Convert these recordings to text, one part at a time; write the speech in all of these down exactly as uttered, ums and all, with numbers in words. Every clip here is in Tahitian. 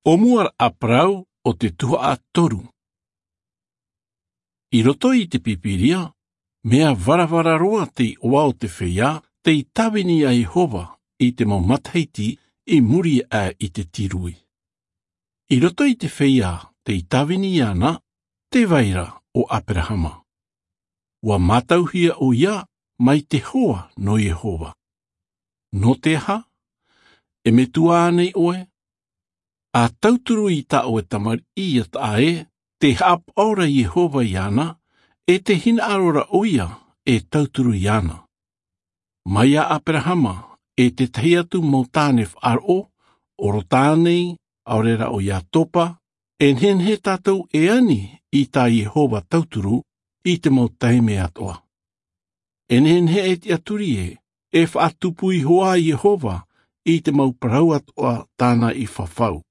ʻO mua raʻa parau o te tuhaʻa toru. I roto i te Pīpīria, mea varavara roa te iʻoa o te feiā tei tāvini iā Iehova i te mau matahiti i muri aʻe i te tīrū. I roto i te feiā tei tāvini iāna, tē vai ra ʻo Aperahama. ʻUa mātauhia ʻoia mai te hoa nō Iehova. Nō te aha? E metua ānei ʻoe? ʻA tauturu i tā ʻoe tamariʻi ʻia taʻa ē, tē haʻapaʻo ra Iehova iāna, e tē hinaʻaro ra ʻoia e tauturu iāna. Mai iā Aperahama, e te tahi atu mau tāne faʻaroʻo, ʻo Rota ānei, ʻaore rā ʻo Iatopa, e nehenehe tātou e ani i tā Iehova tauturu i te mau taime atoʻa. E nehenehe e tiʻaturi ē, e faʻatupu iho ā Iehova i te mau parau atoʻa tāna i fafau.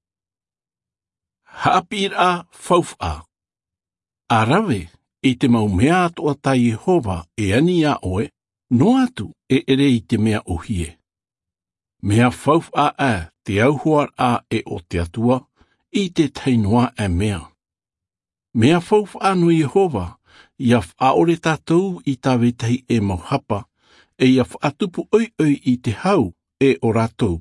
Haʻapiʻiraʻa faufaʻa. ʻA rave i te mau mea atoʻa tā Iehova e ani iā ʻoe, noa atu e ʻere i te mea ʻōhie. Mea faufaʻa ʻā te auhoaraʻa ʻē o te Atua i te tahi noa ʻē mea. Mea faufaʻa nō Iehova, ʻia faʻaʻore tātou i tā vetahi ʻē mau hapa, e ʻia faʻatupu ʻoiʻoi i te hau ʻē o rātou